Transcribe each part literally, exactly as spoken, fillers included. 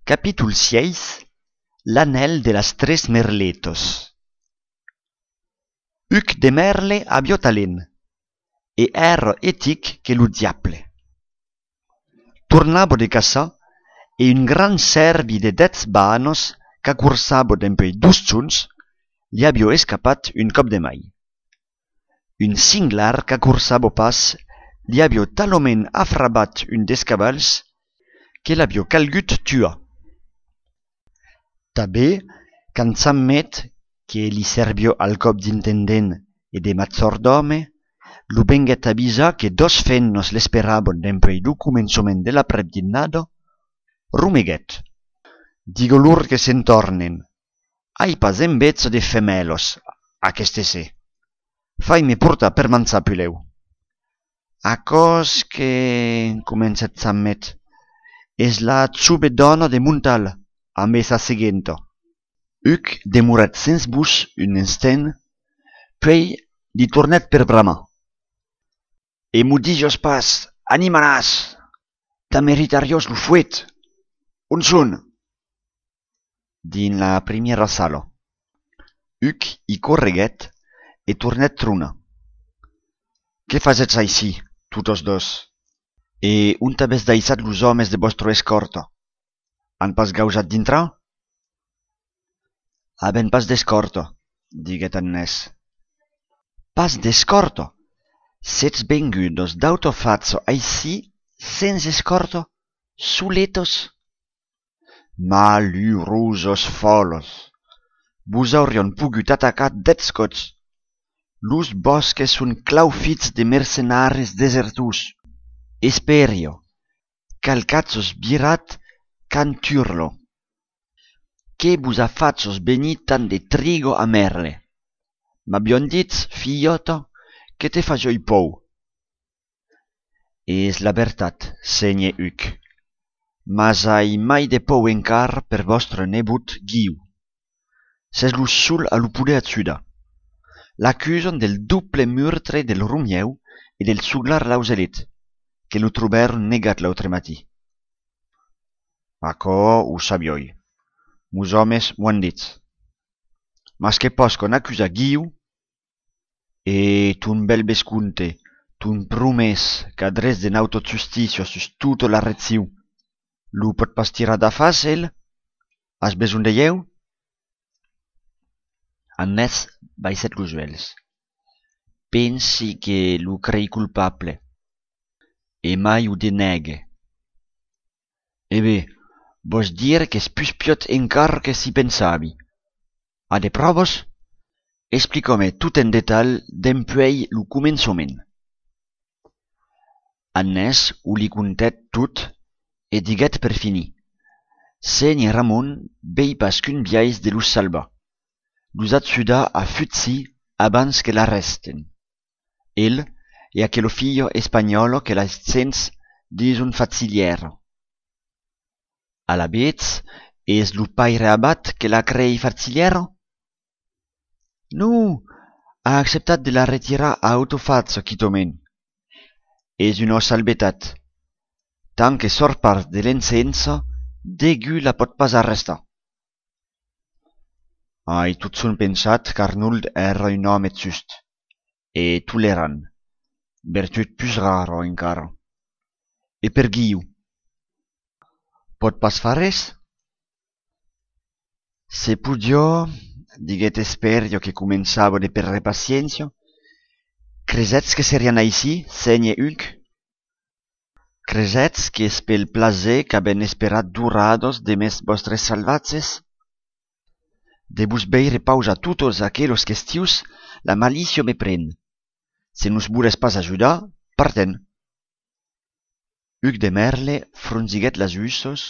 Capítol sièis. L'anèl de las tres merletas. Hugues de Merle aviá talent, e èra etic que lo diable. Tornava de caçar e un grand cèrbi de dètz banas qu'acorsava dempuèi dos jorns li aviá escapat un còp de mai. Un senglar qu'acorsava pas li aviá talament afrabat un dels cavals que l'aviá calgut tuar. Tanben, quand Chamet, que li serviá al còp d'intendent e de majordòme, lo venguèt avisar que doas femnas l'esperavan dempuèi lo començament de l'après-dinada, romeguèt: Diga-lor que se'n tornen. Ai pas enveja de femèlas, aqueste ser. Fai-me portar per manjar, pulèu. Aquò's que, comencèt Chamet, es la jove dòna de Montal, ambe sa seguenta. Hugues demorèt sens votz un instent, puèi li tornèt per bramar: E maudisas pas, animalàs! T'ameritariás lo fuet! On son? Dins la primièra sala. Hugues i correguèt e tornèt tronar: Que fasètz aicí, totas doas? E ont avètz daissat los òmes de vòstra escòrta? An pas gausat dintrar? Avèm pas d'escòrta, diguèt Agnès. Pas d'escòrta? Sètz vengudas d'auta facha aicí, sens escòrta, soletas? Malurosas fòlas! Vos aurián pogut atacar dètz còps. Los bòsques son claufits de mercenaris desertors. Espèria, qual qu'atz virat Canturla? Que vos a fach venir tant de triga a Merle? M'avián dit, filhòta, que te fasiái paur. Es la vertat, sénher Hugues. Mas ai mai de paur encara per vòstre nebot Guiu. Sètz lo sol a lo poder ajudar. L'acusan del doble meurtre del Romieu e del soglar Lauselet, que lo trobèron negat l'autre matin. Aquò o sabiái. Mos òmes m'o an dit. Mas que pòscan acusar Guiu, e ton bèl vescomte, ton promés qu'a drech de nauta justícia sus tota la region, lo pòt pas tirar d'afars, el? As besonh de ieu? Agnès baissèt los uèlhs. Pensi que lo crei colpable. E mai o denègue. E ben, vòs dire qu'es pus piòt encara que si pensavi. A de pròvas? Explica-me tot en detalh dempuèi lo començament. Agnès o li contèt tot e diguèt per finir: Sénher Ramon vei pas qu'un biais de los salvar, los ajudar a fugir abans que l'arrèsten. El e aquela filha espanhòla que las gents dison Fachilhèra. Alavetz, es lo paire abat que la crei Fachilhèra? Non, a acceptat de la retirar a auta facha quitament. Es una salvetat. Tant que sòrt pas de l'ensença, degun la pòt pas arrestar. Ai totjorn pensat qu'Arnold èra un òme just e tolerant, vertut pus rara encara. E per Guiu? Pòt pas far res? Se podiá, diguèt Espèria que començava de perdre paciéncia, cresètz que serián aicí, sénher Hugues? Cresètz qu'es pel plaser qu'avèm esperat d'oradas demest vòstres salvatges? De vos veire pausar totas aquelas questions, la malícia me pren. Se nos volètz pas ajudar, partem. Hugues de Merle fronsiguèt las ussas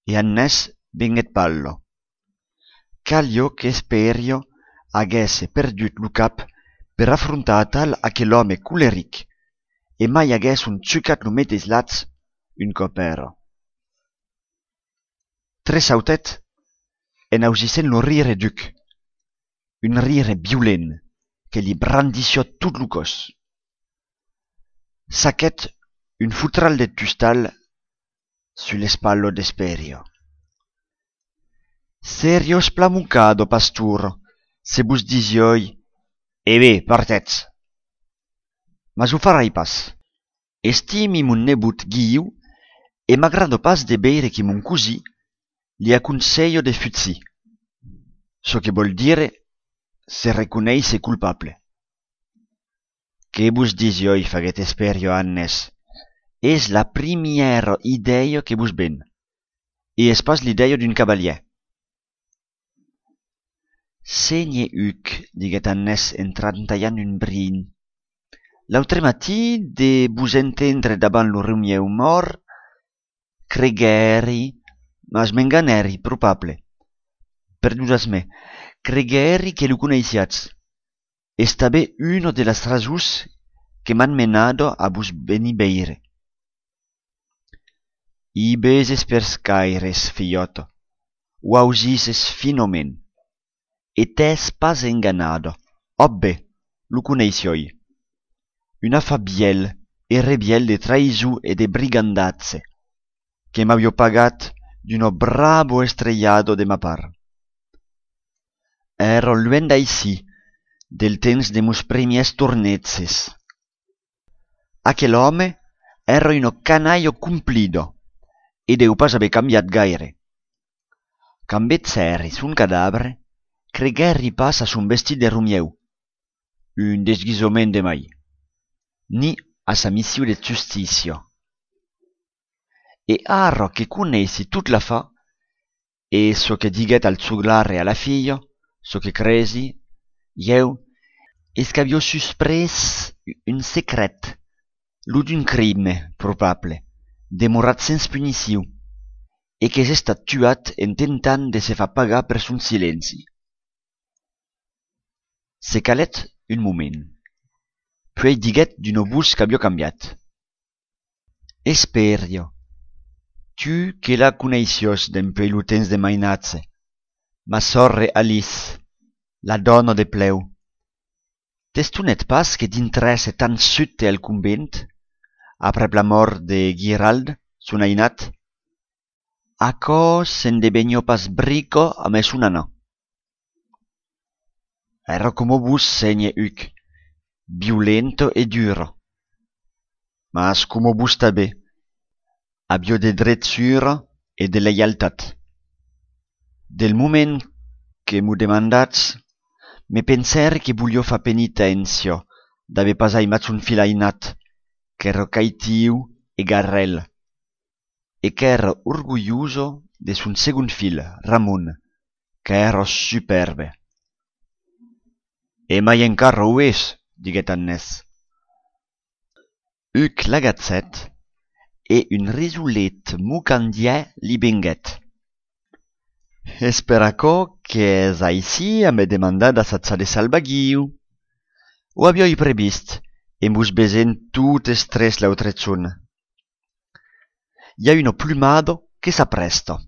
e Agnès venguèt palla. Caliá qu'Espèria aguèsse perdut lo cap per afrontar atal aquel òme coleric, e mai aguèsson chucat lo meteis lach un còp èra. Tresautèt en ausissent lo rire d'Hugues, un rire violent que li brandissiá tot lo còs. Saquèt un fotral de tustal sus l'espatla d'Espèria. Seriatz plan mocada, pastora, se vos disiái: "E ben, partètz!" Mas o farai pas. Estimi mon nebot Guiu e m'agrada pas de veire que mon cosin li aconselha de fugir. Çò que vòl dire se reconéisser colpable. Que vos disiái, faguèt Esperio a Annès, es la primièra idèia que vos ven, e es pas l'idèia d'un cavalièr. Sénher Huc, diguèt Annès en trantalhant un brin, l'autre matin, de vos entendre davant lo romieu mòrt, creguèri, mas m'enganèri, probable. Perdonatz-me, creguèri que lo coneissiatz. Es tanben una de las rasons que m'an menada a vos venir veire. I veses pels caires, filhòta, o ausisses finament. E t'ès pas enganada. Òc ben, lo coneissiái. Un afar vièlh e revièlh de traïson e de brigandatge, que m'aviá pagat d'una brava estrelhada de ma part. Èra luènh d'aicí, del temps de mos primièrs torneges. Aquel òme èra una canalha complida e deu pas aver cambiat gaire. Quand vegèri son cadavre, creguèri pas a son vestit de romieu, un desguisament de mai, ni a sa mission de justícia. E ara que coneissi tot l'afar, e çò que diguèt al joglare a la filha, çò que cresi, ieu, es qu'aviá susprés un secret, lo d'un crime, probable, demorat sens punicion, e qu'es estat tuat en tentant de se far pagar per son silenci. Se calèt un moment. Puèi diguèt d'una votz qu'aviá cambiat: Esperio, tu que la coneissiás dempuèi lo temps de mainatge, ma sòrre Alice, la dòna de Plèu, t'estonèt pas que dintrèsse tan subte al convent, aprèp la mòrt de Guirald, son ainat? Aquò se'n deveniá pas brica amé son anar. Èra coma vos, sénher Huc, violenta e dura. Mas coma vos tanben, aviá de drechura e de leialtat. Del moment que m'o demandatz, me pensèri que voliá far peniténcia d'aver pas aimat son filh ainat, qu'èra caitiu e garrèl, e qu'èra orgulhosa de son segond filh, Ramon, qu'èra supèrbe. E mai encara o es, diguèt Annès. Huc l'agachèt e un risolet mocandièr li venguèt. Es per aquò qu'es aicí a me demandar d'assajar de salvar Guiu. O aviái previst, en vos vesent totes tres l'autre jorn. I a una plumada que s'aprèsta.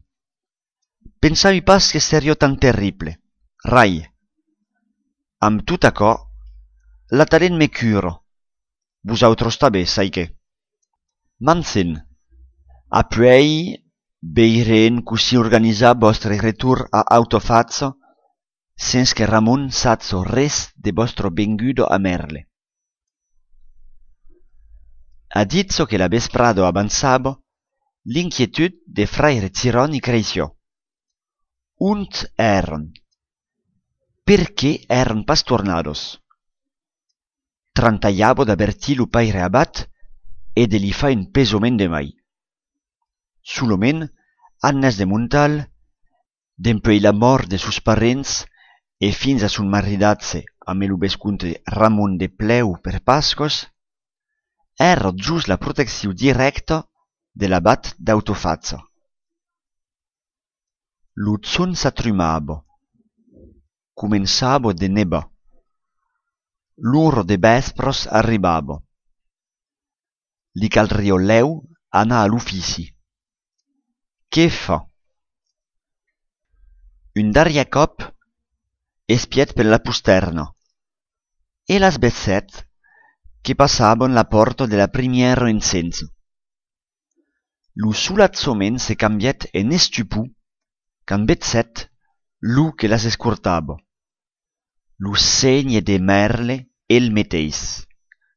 Pensavi pas que seriá tan terrible. Rai. Amb tot aquò, la talent me cura. Vosautres tanben, sai que. M'ensen. Apuèi, veirem cossí organizar vòstre retorn a Autofacha sens que Ramon saja res de vòstra venguda a Mèrle. A ditz que la vesprada avançava, l'inquietud de fraire Giròni creissiá. Ont èran? Perqué èran pas tornadas? Trantalhava d'avertir lo paire abat e de li far un pesament de mai. Solament, Agnès de Montal, dempuèi la mòrt de sos parents e fins a son maridatge amé lo vescomte Ramon de Plèu per Pascas, èra jos la proteccion dirècta de l'abat d'Autofacha. Lo jorn s'atrumava. Començava de nevar. L'ora de vèspras arribava. Li calriá lèu anar a l'ofici. Qué far? Un darrièr còp espièt per la postèrna e las vegèt que passavan la pòrta de la primièra ensenja. Lo solatjament se cambièt en estupor quand vegèt lo que las escortava. Lo sénher de Mèrle, el meteis,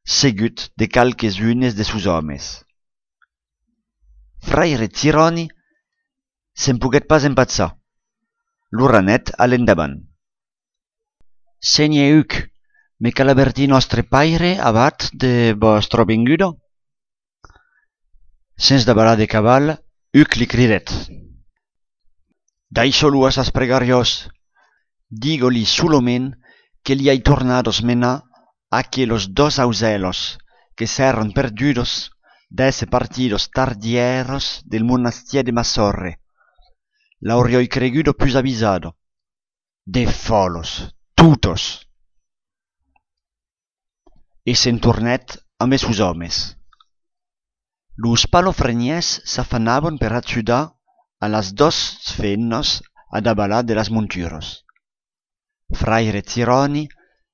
seguit de qualques unes de sos òmes. Fraire Tiròni se'n poguèt pas empachar. Lo ranèt a l'endavant. Sénher Huc, me cal avertir nòstre paire abat de vòstra venguda? Sens davalar de caval, Huc li cridèt: Daissa-lo a sas pregàrias, diga-li solament que li ai tornadas menar aquelas doas ausèlas que s'èran perdudas d'èsser partidas tardièras del monastièr de Massòrre. L'auriái creguda pus avisada. De fòlas, totas! E se'n tornèt ambe sos òmes. Los palafrenièrs s'afanavan per ajudar a las doas femnas a davalar de las monturas. Fraire Tiròni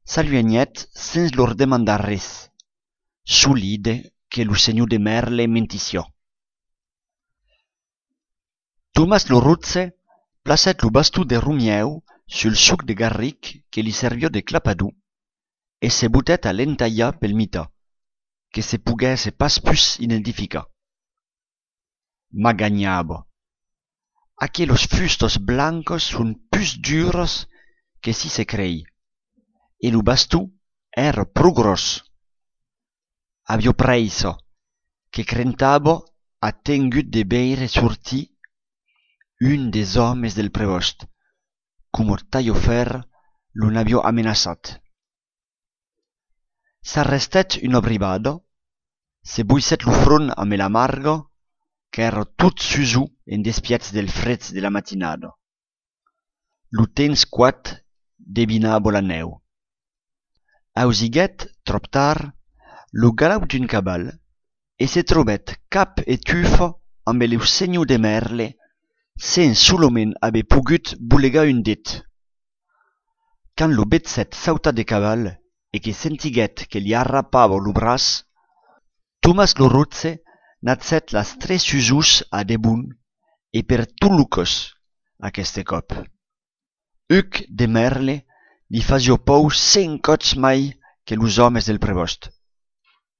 s'aluenhèt sens lor demandar res, solide que lo senhor de Mèrle mentissiá. Tomàs lo Rotge placèt lo baston de Romièu sul soc de garric que li serviá de clapador e se botèt a l'entalhar pel mitan, que se poguèsse pas pus identificar. Maganhava: Aquelas fustas blancas son pus duras que si se crei, e lo baston èra pro gròs. Aviá prèissa, que crentava a tengut de veire sortir un des òmes del prevòst, coma Talhafèrre lo n'aviá amenaçat. S'arrestèt una brivada, se boissèt lo front ambe la marga, qu'èra tot susor en despièch del freg de la matinada. Lo temps quat devinava la nèu. Ausiguèt, tròp tard, lo galau d'un caval e se trobèt cap e tufa ambe lo senhor de Mèrle, sens solament aver pogut bolegar un dit. Quand lo vegèt sautar de caval e que sentiguèt que li arrapava lo braç, Tomàs lo Rotge n'agèt las tres susors a debon e per tot lo còs, aqueste còp. Huc de Mèrle li fasiá paur cent còps mai que los òmes del prevòst,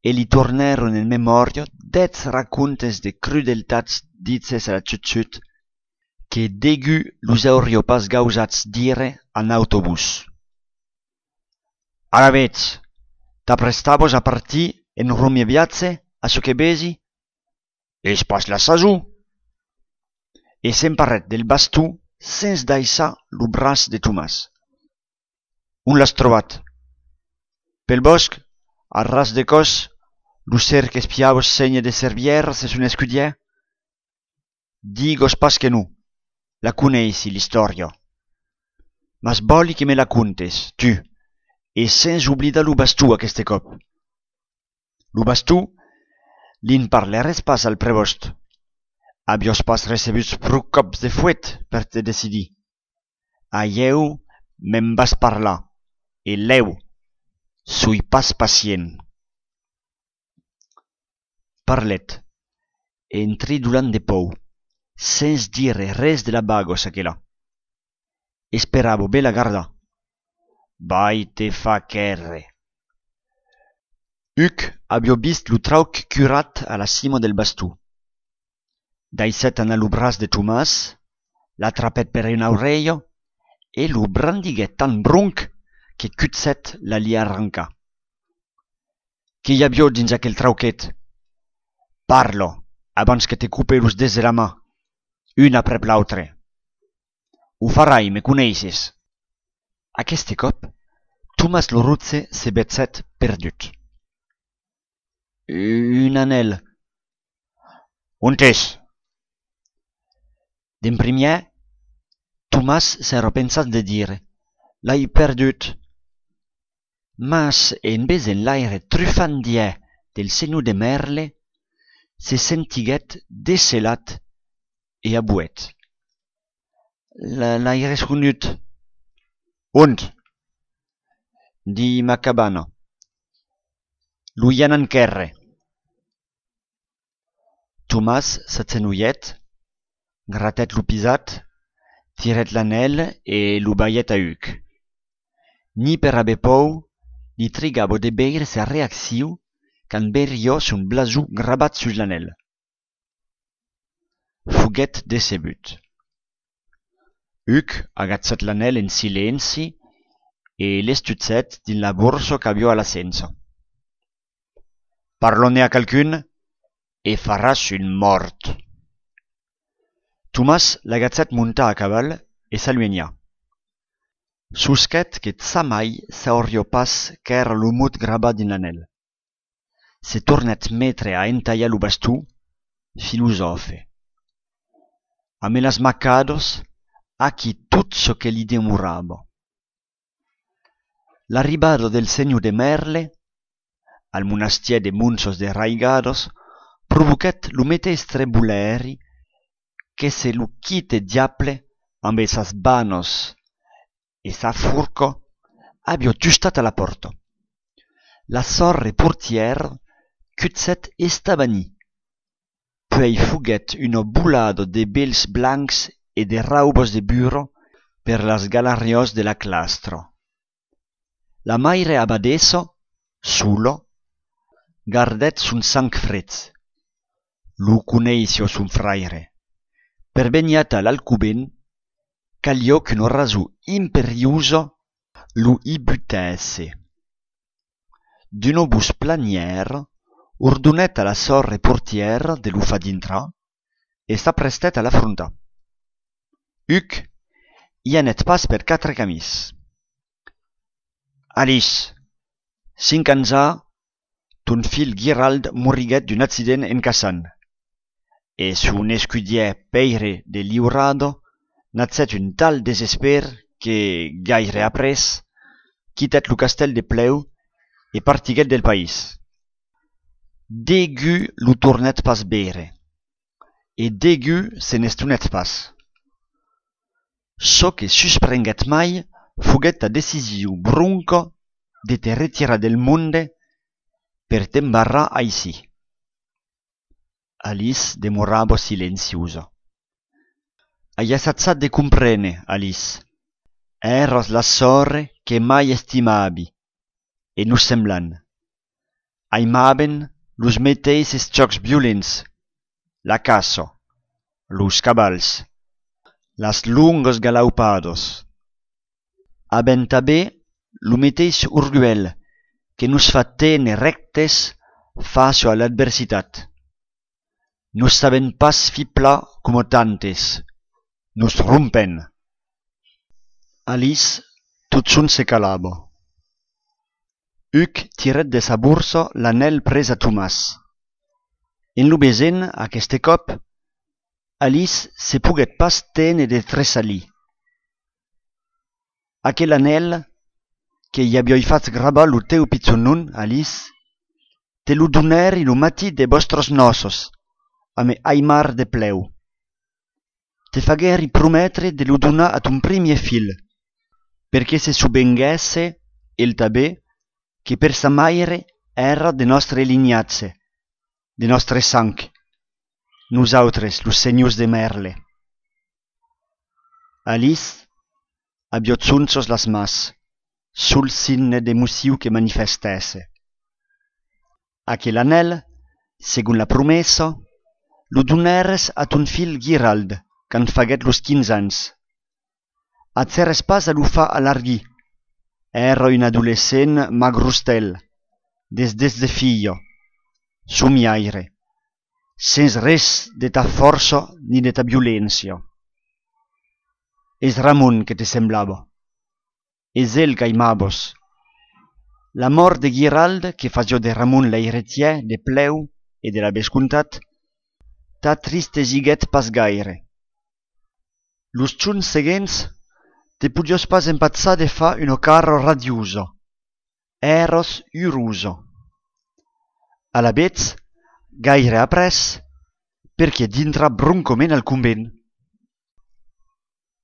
e li tornèron en memòria dètz racontes de crudeltats diches a la chut-chut que degun los auriá pas gausats dire a nauta votz. Alavetz, t'aprestavas a partir en Romièu viatge, a çò que vesi? Es pas la sason! E s'emparèt del baston sens daissar lo braç de Tomàs. On l'as trobat? Pel bòsc, a ras de còs, lo ser qu'espiava sénher de servièras e son escudièr? Digas pas que non, la coneissi, l'istòria. Mas vòli que me la contes, tu, e sens oblidar lo baston aqueste còp. Lo baston, li'n parlères pas al prevòst. Aviás pas recebut pro còps de fuet per te decidir. Ailhèu me'n vas parlar, e lèu, soi pas pacient. Parlèt, en tridolant de paur, sens dire res de la baga, çaquelà. Esperava ben la gardar. Vai te far quèrre. Huc aviá vist lo trauc curat a la cima del baston. Daissèt anar lo braç de Tomàs, l'atrapèt per una aurelha e lo brandiguèt tan bronc que cuchèt la li arrancar. Qué i aviá dins aquel trauquet? Parla, abans que te cope los dets de la man, un aprèp l'autre. O farai, me coneisses. Aqueste còp, Tomàs lo Rotge se vegèt perdut. Un anèl. Ont es? D'en primièr, Tomàs s'èra pensat de dire: L'ai perdut. Mas en vesent l'aire trufandièr del senhor de Mèrle, se sentiguèt decelat e abolèt: La, l'ai resconut. Ont? Dins ma cabana. Lo i anam quèrre. Tomàs s'agenolhèt, gratèt lo pisat tirèt l'anèl e lo balhèt a Hugues. Ni per aver paur, li trigava de veire sa reaccion quand veiriá son blason gravat sus l'anèl. Foguèt decebut. Hugues agachèt l'anèl en silenci e l'estuchèt dins la borsa qu'aviá a la cença. Parla-ne a qualqu'un e faràs un mòrt. Tomàs l'agachèt montar a caval e s'aluenhar. Sosquèt que jamai sauriá pas qu'èra lo mot gravat dins l'anèl. Se tornèt metre a entalhar lo baston, filosòfe. Amé las macadas, aquí tot çò que li demorava. L'arribada del senhor de Mèrle al monastièr de Monças de Raigadas provoquèt lo meteis trebolèri que se lo quite diable ambe sas banas e sa forca aviá tustat a la pòrta. La sòrre portièra cuchèt estavanit, puèi foguèt una volada de vèls blancs e de raubas de burra per las galariás de la clastra. La maire abadessa, sola, gardèt son sang freg. Lo coneissiá son fraire. Per venir atal al covent, caliá qu'una rason imperiosa lo i butèsse. D'una votz planièra, ordonèt a la sòrre portièra de lo far dintrar e s'aprestèt a l'afrontar. Hugues i anèt pas per quatre camins. Alice, cinc ans a, ton filh Guirald moriguèt d'un accident en caçant. E son escudièr Pèire de Liurada nagèt un tal desespèr que, gaire après, quitèt lo castèl de Plèu e partiguèt del país. Degun lo tornèt pas veire, e degun se n'estonèt pas. Çò que susprenguèt mai foguèt ta decision bronca de te retirar del monde per t'embarrar aicí. Alice demorava silenciosa. Ai assajat de comprene, Alice. Èras la sòrre que mai estimavi, e nos semblam. Aimàvem los meteisses jòcs violents, la caça, los cavals, las longas galaupadas. Avèm tanben lo meteis orguèl que nos fa téner rèctes fàcia a l'adversitat. Nos sabèm pas fiblar coma tantes. Nos rompèm. Alice totjorn se calava. Hugues tirèt de sa borsa l'anèl pres a Tomàs. En lo vesent, aqueste còp, Alice se poguèt pas téner de tressalir. Aquel anèl que i aviái fach gravar lo teu pichon nom, Alice, te lo donèri lo matin de vòstras nòças, amé Aimar de Plèu. Te faguèri prometre de lo donar a ton primièr filh, per que se sovenguèsse, el tanben, que per sa maire èra de nòstre linhatge, de nòstre sang, nosautres, los senhors de Mèrle. Alice aviá jonchas las mans, sol signe d'emocion que manifestèsse. Aquel anèl, segon la promessa, lo donères a ton filh Guirald quand faguèt los quinze ans. Agères pas a lo far alarguir. Èra un adolescent magrostèl, desdesdefiat, somiaire, sens res de ta fòrça ni de ta violéncia. Es Ramon que te semblava. Es el qu'aimavas. La mòrt de Guirald, que fasiá de Ramon l'eiretièr de Plèu e de la vescomtat, t'atristesiguèt pas gaire. Los jorns seguents, te podiás pas empachar de far una cara radiosa. Èras urosa. Alavetz, gaire après, perqué dintrar broncament al convent?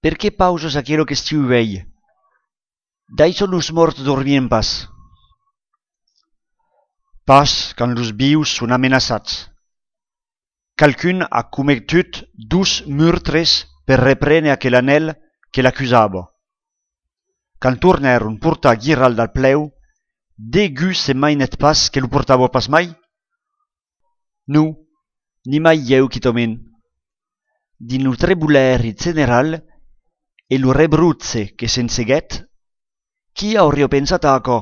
Perqué pausas aquela question uèi? D'aicí los mòrts dormien pas. Pas quand los vius son amenaçats. Qualqu'un a cometut dos murtres per reprene aquel anèl que l'acusava. Quand tornèron portar Guirald al plèu, degun se mainèt pas que lo portava pas mai? Non, ni mai ieu quitament. Dins lo trebolèri general e lo rebrotge que se'n seguèt, qui auriá pensat a aquò?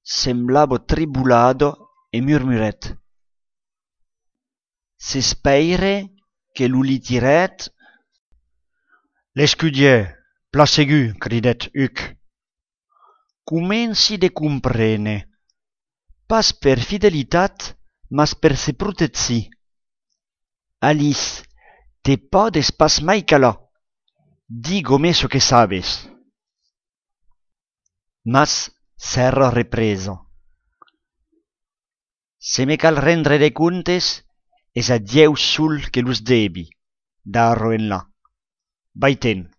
Semblava tribolada e murmurèt: S'espèire que lo li tirèt. L'escudièr, plan segur, cridèt Huc. Comenci de comprene. Pas per fidelitat, mas per se protegir. Alice, te pòdes pas mai calar. Diga-me çò que sabes. Mas s'èra represa. Se me cal rendre de comptes, es a Dieu sol que los devi, d'ara enlà. Vai-te'n.